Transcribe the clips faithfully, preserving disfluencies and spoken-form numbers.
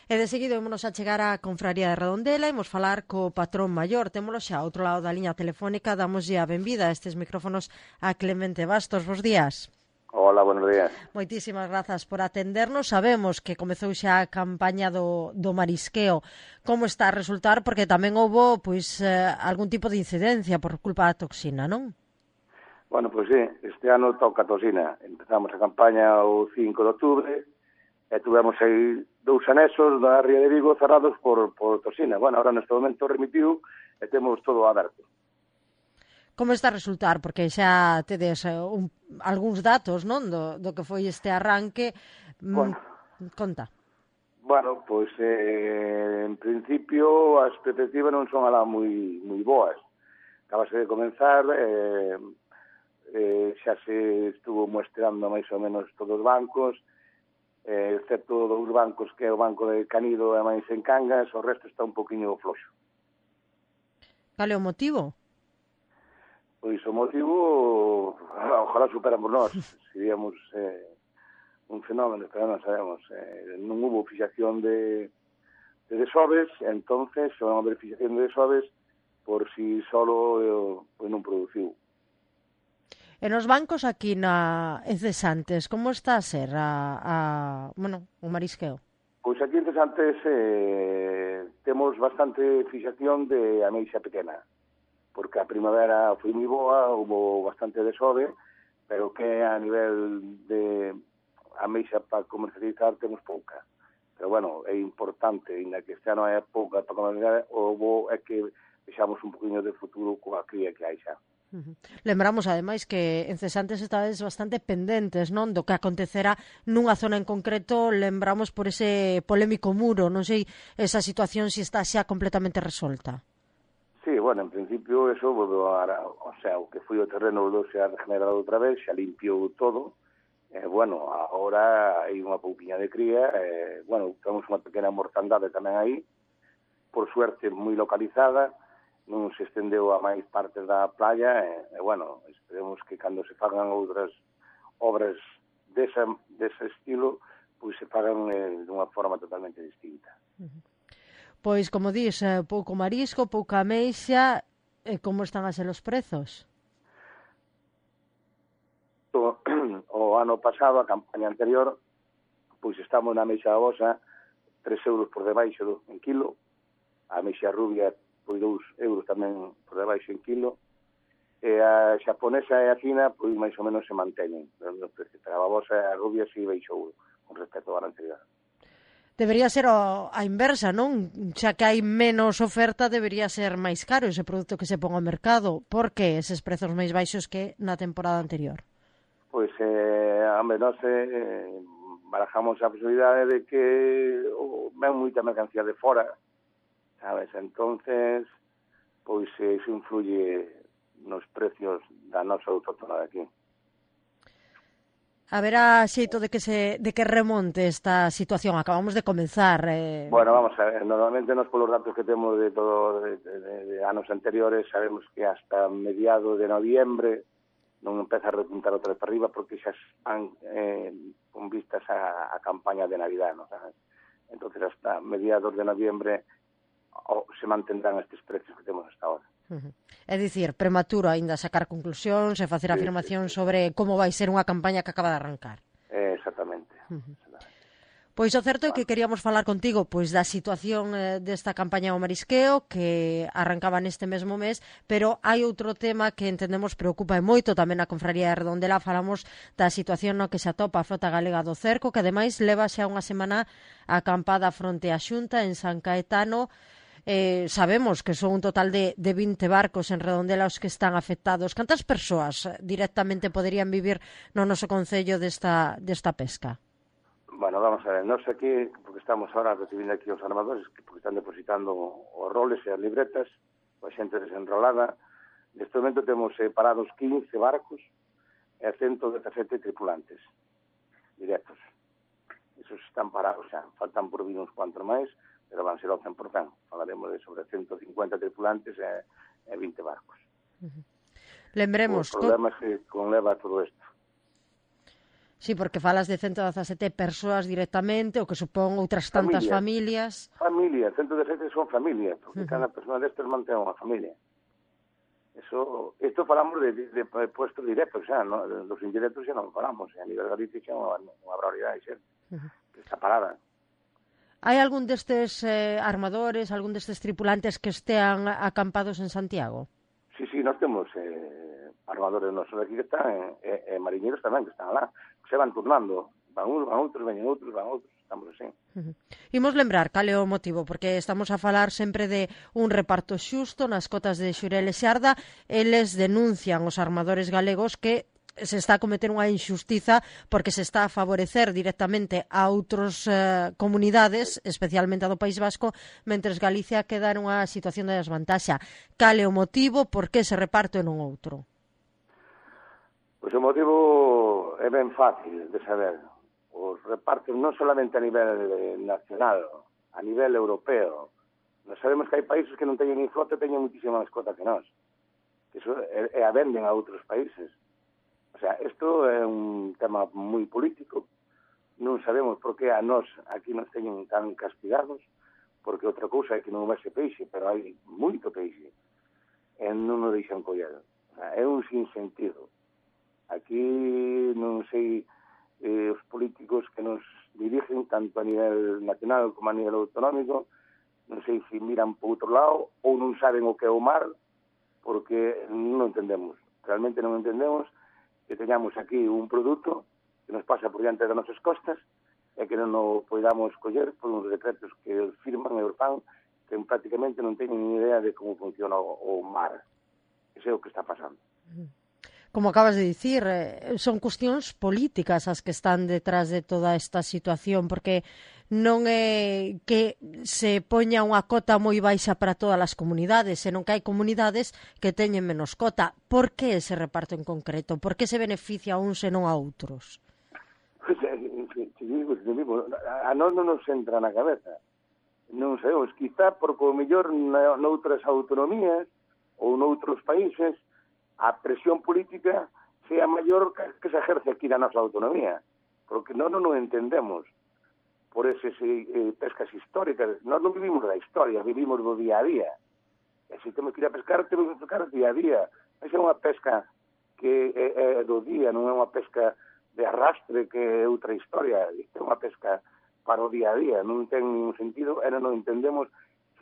E de seguido ímonos a chegar á Confraría de Redondela, imos falar co patrón maior, témolo xa ao outro lado da liña telefónica, damoslle a benvida a estes micrófonos a Clemente Bastos. Bos días. Hola, buenos días. Moitísimas grazas por atendernos. Sabemos que comezou xa a campaña do, do marisqueo. Como está a resultar? Porque tamén houbo pois, eh, algún tipo de incidencia por culpa da toxina, non? Bueno, pois sí, este ano toca a toxina. Empezamos a campaña o cinco de outubro e tuvemos aí dous anexos da Ría de Vigo cerrados por, por toxina. Bueno, ahora neste momento remitiu e temos todo aberto. Como está a resultar? Porque xa tedes uh, un, algúns datos, non, do, do que foi este arranque. Bueno, mm, conta. Bueno, pois eh, en principio as perspectivas non son alá moi moi boas. Acabase de comenzar, eh, eh, xa se estuvo muestrando máis ou menos todos os bancos, eh, excepto dous bancos que é o Banco de Canido e máis en Cangas, o resto está un poquinho floxo. Cal é o motivo? Pois o motivo, ojalá superamos nós, seríamos eh, un fenómeno, pero non sabemos. Eh, non hubo fixación de, de desoves, entonces se van a haber fixación de desoves por si solo eh, pues non produciu. E nos bancos aquí na en Cesantes, como está a ser a, a bueno, o marisqueo? Pois aquí en Cesantes eh, temos bastante fixación de ameixa pequena, porque a primavera foi moi boa, houve bastante desove, pero que a nivel de ameixa para comercializar temos pouca. Pero, bueno, é importante, ainda que este ano é pouca para comercializar, o bo é que deixamos un poquinho de futuro coa cría que hai xa. Uh-huh. Lembramos, ademais, que en Cesantes estades bastante pendentes, non, do que acontecerá nunha zona en concreto. Lembramos por ese polémico muro, non sei esa situación se está xa completamente resolta. Sí, bueno, en principio eso, o sea, o que foi o terreno volveu se a regenerado outra vez, xa limpiou todo. Eh, bueno, agora hai unha pouquiña de cría, eh, bueno, temos unha pequena mortandade tamén aí, por suerte moi localizada, non se estendeu a máis partes da playa, e, e bueno, esperemos que cando se fagan outras obras desa, dese estilo, pois se fagan eh, dunha forma totalmente distinta. Uh-huh. Pois, como dís, pouco marisco, pouca ameixa, e como están a ser os prezos? O, o ano pasado, a campaña anterior, pois estamos na ameixa bosa tres euros por debaixo do, en kilo, a ameixa rubia pois dous euros tamén por debaixo en kilo, e a xaponesa e a fina pois máis ou menos se manteñen, pero a bosa e a rubia si baixou con respecto ao ano anterior. Debería ser a, a inversa, non? Xa que hai menos oferta, debería ser máis caro ese produto que se pon ao mercado. Por que eses prezos máis baixos que na temporada anterior? Pois, eh, hombre, nós eh, barajamos a posibilidade de que oh, ven moita mercancía de fora, sabes? Entonces, pois iso influye nos precios da nosa autóctona de aquí. Haberá xeito de que se de que remonte esta situación? Acabamos de comenzar. Eh... Bueno, vamos a ver, normalmente nos polos datos que temos de todo de, de, de anos anteriores sabemos que hasta mediados de noviembre non empeza a repuntar outra vez para arriba porque xa están eh, con vistas a, a campaña de Navidad, ¿no? Entonces hasta mediados de noviembre oh, se mantendrán estes precios que temos hasta ahora. Uh-huh. É dicir, prematuro aínda sacar conclusións e facer sí, afirmacións sí, sí. sobre como vai ser unha campaña que acaba de arrancar. Eh, exactamente. Uh-huh. Pois o certo é que queríamos falar contigo pois da situación eh, desta campaña ao marisqueo que arrancaba neste mesmo mes, pero hai outro tema que entendemos preocupa e moito tamén a Confraría de Redondela. Falamos da situación no que se atopa a frota galega do cerco, que ademais leva xa unha semana acampada fronte á Xunta en San Caetano. Eh, sabemos que son un total de, de vinte barcos en Redondela os que están afectados. Cantas persoas directamente poderían vivir no noso concello desta, desta pesca? Bueno, vamos a ver, nós aquí, porque estamos ahora recibindo aquí os armadores, porque están depositando os roles e as libretas, a xente desenrolada. Neste momento temos eh, parados quince barcos e ciento dezasete tripulantes directos. Esos están parados xa, faltan por vir uns cuantos máis, pero van ser ao cen por cento. Falaremos de sobre ciento cincuenta tripulantes e, e vinte barcos. Uh-huh. Lembremos... Os problemas que conleva todo isto. Sí, porque falas de ciento dezasete persoas directamente, o que supón outras tantas familias. Familias, ciento dezasete son familias, porque uh -huh. cada persona destes mantén unha familia. Eso, isto falamos de, de, de puestos directos, xa, no? Dos indirectos xa non falamos, a nivel Galicia xa unha, unha barbaridade, xa, uh -huh. que está parada. Hai algún destes eh, armadores, algún destes tripulantes que estean acampados en Santiago? Sí, sí, nós temos eh, armadores nosos aquí que están, e eh, eh, mariñeiros tamén que están lá, se van turnando, van uns, van outros, veñen outros, van outros, estamos así. Uh -huh. Imos lembrar cal é o motivo, porque estamos a falar sempre de un reparto xusto nas cotas de Xurel e Xarda. Eles denuncian os armadores galegos que se está a cometer unha injustiza porque se está a favorecer directamente a outras eh, comunidades, especialmente a do País Vasco, mentres Galicia queda nunha situación de desvantaxa. Cal é o motivo, por que se reparto e non outro? Pois o motivo é ben fácil de saber. Os repartos non solamente a nivel nacional, a nivel europeo. Nós sabemos que hai países que non teñen ni flota e teñen muitísima máis cota que nós. Iso é, é a venden a outros países. O sea, isto é un tema moi político. Non sabemos por que a nós aquí nos teñen tan castigados, porque outra cousa é que non houvese peixe, pero hai moito peixe. E non nos deixan coller. O sea, é un sinsentido. Aquí non sei eh, os políticos que nos dirigen tanto a nivel nacional como a nivel autonómico, non sei se miran por outro lado ou non saben o que é o mar, porque non entendemos, realmente non entendemos que teñamos aquí un produto que nos pasa por diante das nosas costas e que non o podamos coller por uns decretos que firman e os fan que prácticamente non teñen ni idea de como funciona o, o mar. Ese é o que está pasando. Como acabas de dicir, son cuestións políticas as que están detrás de toda esta situación, porque non é que se poña unha cota moi baixa para todas as comunidades, senón que hai comunidades que teñen menos cota. Por que ese reparto en concreto? Por que se beneficia a uns e non a outros? Pues, a nós non nos entra na cabeza. Non sabemos, quizá porque o mellor noutras autonomías ou noutros países a presión política sea maior que se ejerce aquí na nosa autonomía, porque nós non nos entendemos por esas eh, pescas históricas. Nós non vivimos da historia, vivimos do día a día. E se temos que ir a pescar, temos que pescar día a día. Esa é unha pesca que é, é do día, non é unha pesca de arrastre que é outra historia. Isto é unha pesca para o día a día. Non ten ningún sentido, e non entendemos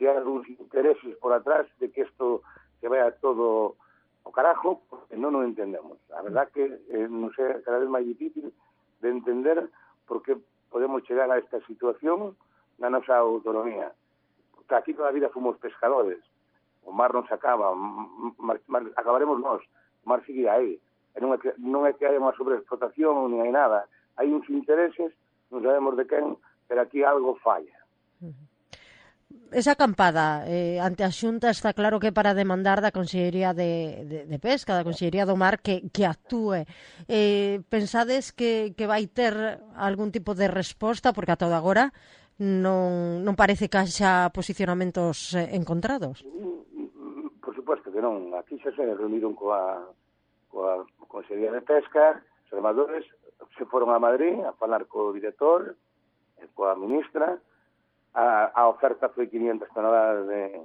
se hai algúns intereses por atrás de que isto se vaya todo o carajo, porque non o entendemos. A verdad que eh, non sei, cada vez máis difícil de entender por que podemos chegar a esta situación na nosa autonomía. Porque aquí toda a vida fomos pescadores. O mar non se acaba, mar, mar, acabaremos nós. O mar sigue aí. E non é que, non é que hai unha sobreexplotación nin hai nada. Hai uns intereses, non sabemos de quen, pero aquí algo falla. Esa acampada eh, ante a Xunta está claro que para demandar da Consellería de, de, de Pesca, da Consellería do Mar, que, que actúe. Eh, pensades que, que vai ter algún tipo de resposta, porque ata agora non, non parece que haxa posicionamentos eh, encontrados? Por suposto que non. Aquí xa se reuniron coa, coa Consellería de Pesca, os armadores se foron a Madrid a falar co director e coa ministra. A, a oferta foi quinientas toneladas de,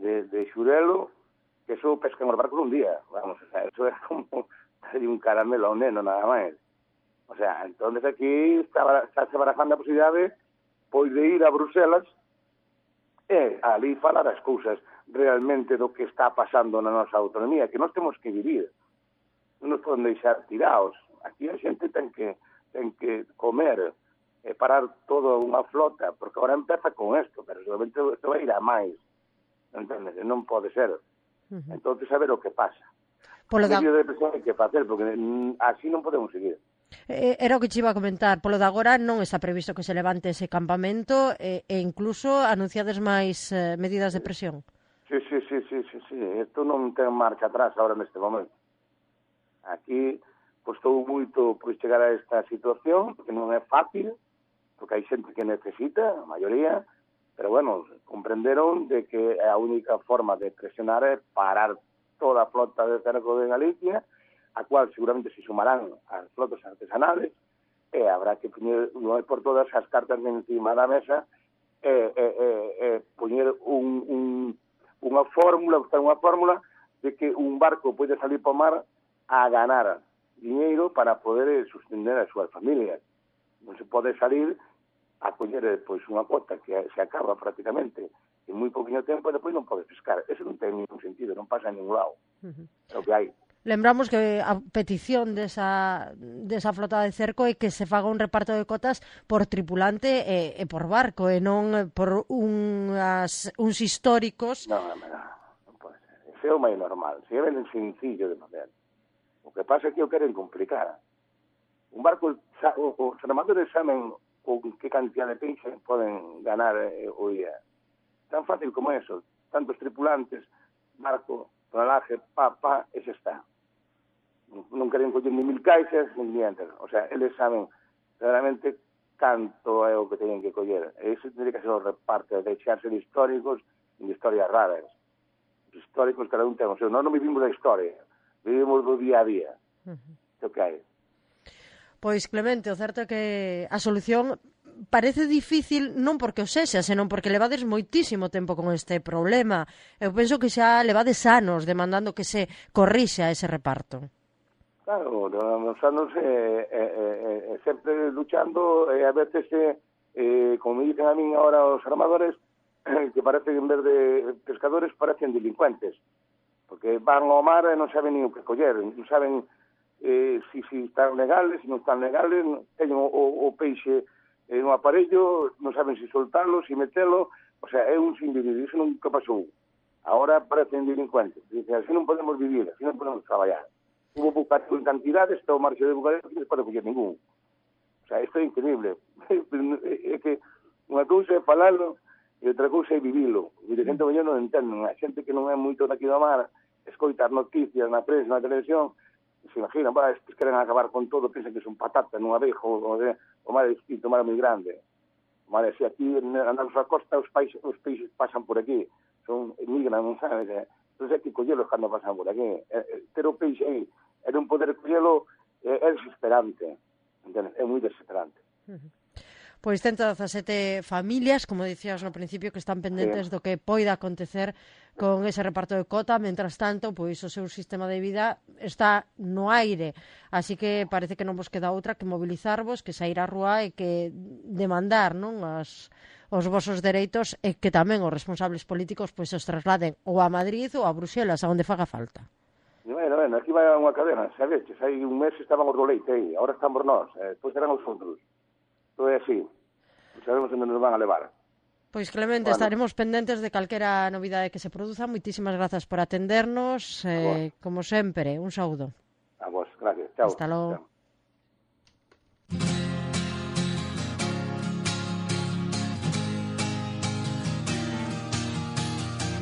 de, de xurelo, que eso pescan os barcos un día. Vamos, o sea, eso é como un caramelo a un neno, nada máis. O sea, entonces aquí está, está se barajando a posibilidade pois de ir a Bruselas e ali falar as cousas realmente do que está pasando na nosa autonomía, que nós temos que vivir. Non nos poden deixar tirados. Aquí a xente ten que, ten que comer, e parar toda unha flota, porque agora empeza con isto, pero seguramente isto vai ir a máis. Entendes? Non pode ser. Uh -huh. Entón, a ver o que pasa. Polo da... de presión hai que facer, porque así non podemos seguir. Eh, era o que te iba a comentar. Polo de agora non está previsto que se levante ese campamento e, e incluso anunciades máis eh, medidas de presión. Sí, sí, sí, sí, sí, sí. Isto non ten marcha atrás agora neste momento. Aquí costou moito pois, chegar a esta situación, porque non é fácil, porque hai xente que necesita, a maioría, pero, bueno, comprenderon de que a única forma de presionar é parar toda a flota de cerco de Galicia, a cual seguramente se sumarán as flotas artesanales, e habrá que poñer non é por todas as cartas encima da mesa e, e, e, e poñer un, un, unha fórmula, unha fórmula de que un barco pode salir para o mar a ganar dinheiro para poder sustender as súas familias. Non se pode salir a coller pois, unha cuota que se acaba prácticamente en moi pouquinho tempo e depois non pode pescar. Eso non ten ningún sentido, non pasa en ningún lado. Uh-huh. É o que hai. Lembramos que a petición desa, desa flota de cerco é que se faga un reparto de cotas por tripulante e, e por barco, e non por unhas, uns históricos. Non, non, non pode ser. Ese é o máis normal. Se é ben sencillo de fazer. O que pasa é que o queren complicar. Un barco, os armadores saben con que cantidad de peixe poden ganar eh, o día. Tan fácil como eso. Tantos tripulantes, barco, tonelaje, pa, pa, ese está. Non queren coller ni mil caixas, ni dientes. O sea, eles saben realmente canto é o que teñen que coller. E ese tendría que ser o reparto, de echarse de históricos e de historias raras. Os históricos, cada un ten o seu. Nós non vivimos da historia, vivimos do día a día. Uh-huh. O que hai. Pois, Clemente, o certo é que a solución parece difícil non porque o sexa, senón porque levades moitísimo tempo con este problema. Eu penso que xa levades anos demandando que se corrixa ese reparto. Claro, nos anos eh, eh, eh, sempre luchando, e eh, a veces, eh, como me dicen a min ahora os armadores, que parecen, en vez de pescadores, parecen delincuentes, porque van ao mar e non saben nin o que coller, non saben eh, si, si están legales, si non están legales, teñen o, o, o peixe en un aparello, non saben si soltarlo, si metelo, o sea, é un sin vivir, iso nunca pasou. Ahora parecen delincuentes, dicen, así non podemos vivir, así non podemos traballar. Hubo bucato en cantidades, está o marxo de bucato, non se pode coller ningún. O sea, isto é increíble. É que unha cousa é falalo e outra cousa é vivilo. E de xente mellor non entenden. A xente que non é moito daqui do mar, escoitar noticias na prensa, na televisión, se imaginan, bah, estes queren acabar con todo, pensan que son patata nun abejo, o, o mar é distinto, o mar é moi grande. O mar é, se aquí andamos a costa, os, países, os peixes pasan por aquí, son migran, non sabes, eh? Entón hai que collelos cando pasan por aquí. Eh, ter o peixe aí, e non poder collelo, eh, é desesperante, entende? É moi desesperante. Uh-huh. Pois cento dezasete familias, como dicías no principio, que están pendentes sí. do que poida acontecer con ese reparto de cota. Mentras tanto, pois o seu sistema de vida está no aire. Así que parece que non vos queda outra que mobilizarvos, que sair á rúa e que demandar, non, as, os vosos dereitos, e que tamén os responsables políticos pois os trasladen ou a Madrid ou a Bruxelas, a onde faga falta. Bueno, bueno, aquí vai unha cadena, sabes? Hai un mes estaban os do leite aí, agora estamos nós, eh, depois serán os outros. Todo é así. Sabemos onde nos van a levar. Pois, Clemente, bueno, estaremos pendentes de calquera novidade que se produza. Moitísimas grazas por atendernos. Eh, como sempre, un saúdo. A vos, gracias. Chao. Hasta logo. Chao.